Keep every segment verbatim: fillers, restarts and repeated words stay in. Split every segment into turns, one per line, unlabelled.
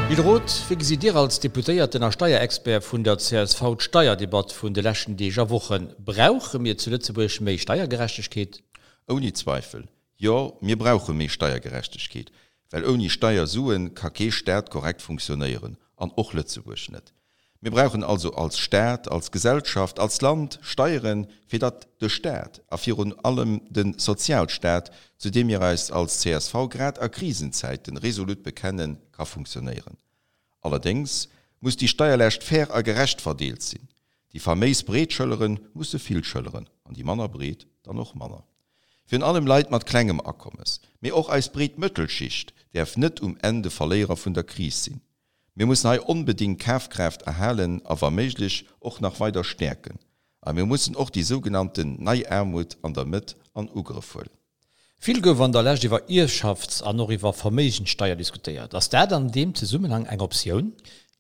Gilles Roth, wéi gesitt Dir als Deputéierten a Steierexpert vun der csv d'Steierdebatt vun de leschten Deeg a Wochen? Brauche mir zu Lëtzebuerg méi Steiergerechtegkeet?
Ouni Zweifel, jo, mir brauche méi Steiergerechtegkeet, well ouni Steiersuen ka kee Staat korrekt funktionéieren, an och Lëtzebuerg net. Mir brauchen also als Staat, als Gesellschaft, als Land Steieren, fir datt de Staat, a virun allem de Sozialstaat, zu deem mir eis als csv grad a Krisenzäiten resolut bekennen, ka funktionéieren. Allerdéngs muss déi Steierlaascht fair a gerecht verdeelt sinn. Déi faméis breet Schëllere musse vill schëlleren an déi manner breet dann och manner. Virun allem Leit mat klengem Akommes, mee och eis breet Mëttelschicht däerf net um Enn de Verléierer vun der Kris sinn. Mir mussen hei onbedéngt d'Kafkraaft erhalen a wa méiglech och nach weider stäerken. A mir mussen och déi sougenannten nei Aarmut an der Mëtt an Ugrëff huelen.
Vill gouf an der Lescht iwwer Ierfschafts an och iwwer Verméigenssteier diskutéiert. Ass dat an deem Zesummenhang eng Optioun?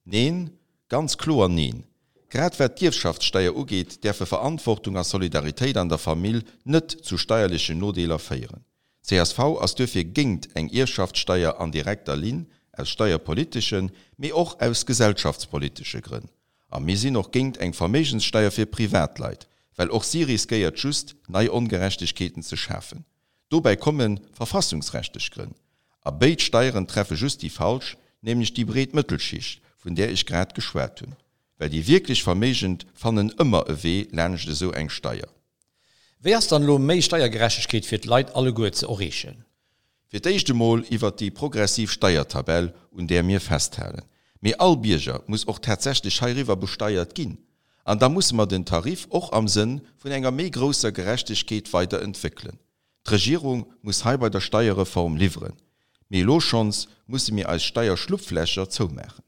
Neen, ganz kloer neen! Grad wat d'Ierfschaftssteier ugeet, däerfe Verantwortung a Solidaritéit an der Famill net zu steierlechen Nodeeler féieren. Csv ass duerfir géingt eng Ierfschaftssteier an direkter Linn, aus steierpoliteschen, mee och aus gesellschaftspolitesche Grënn. A mir sinn och géingt eng Verméigenssteier fir Privatleit, well och si riskéiert just, nei Ongerechtegkeeten ze schafen. Dobäi komme verfassungsrechtlech Grënn. A béid Steieren treffe just déi Falsch, nämlech déi breet Mëttelschicht, vun där ech grad geschwat hunn. Well déi wierklech Verméigend fannen ëmmer e Wee laanscht esou eng Steier.
Wéi ass dann elo méi Steiergerechtegkeet fir d'Leit alleguer ze erreechen?
Fir d'éischt emol iwwert déi progressiv Steiertabell, un där mir festhalen. Mee all Bierger muss och tatsächlech heiriwwer besteiert ginn. An da musse mer den Tarif och am Sënn vun enger méi grousser Gerechtegkeet weider entwéckelen. D'Regierung muss hei bei der Steierreform liwweren. Mee elo schonns musse mir eis Steierschlupflächer zoumaachen.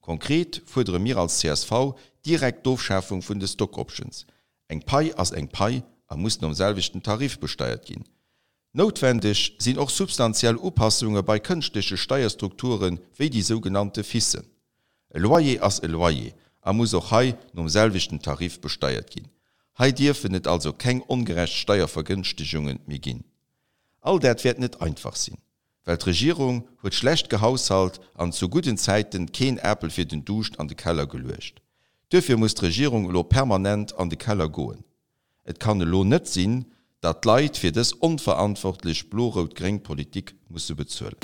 Konkret fuerdere mir als csv direkt d'Ofschafung vun de Stock Options. Eng Pai ass eng Pai a muss nom selwechten Tarif besteiert ginn. Noutwendeg sinn och substantiell Upassunge bei kënschtleche Steierstrukture wéi déi sougenannte FISen. E Loyer ass e Loyer a muss och hei nom selwechten Tarif besteiert ginn. Hei dierfen et also keng ongerecht Steiervergënschtegunge méi ginn. All dat wäert net einfach sinn, well d'Regierung huet schlecht gehaushalt an zu gudden Zäiten keen Apel fir den Duuscht an de Keller geluecht. Duerfir muss d'Regierung elo permanent an de Keller goen. Et kann elo net sinn, datt d'Leit fir dës onverantwortlech blo-rout-gréng Politik musse bezuelen.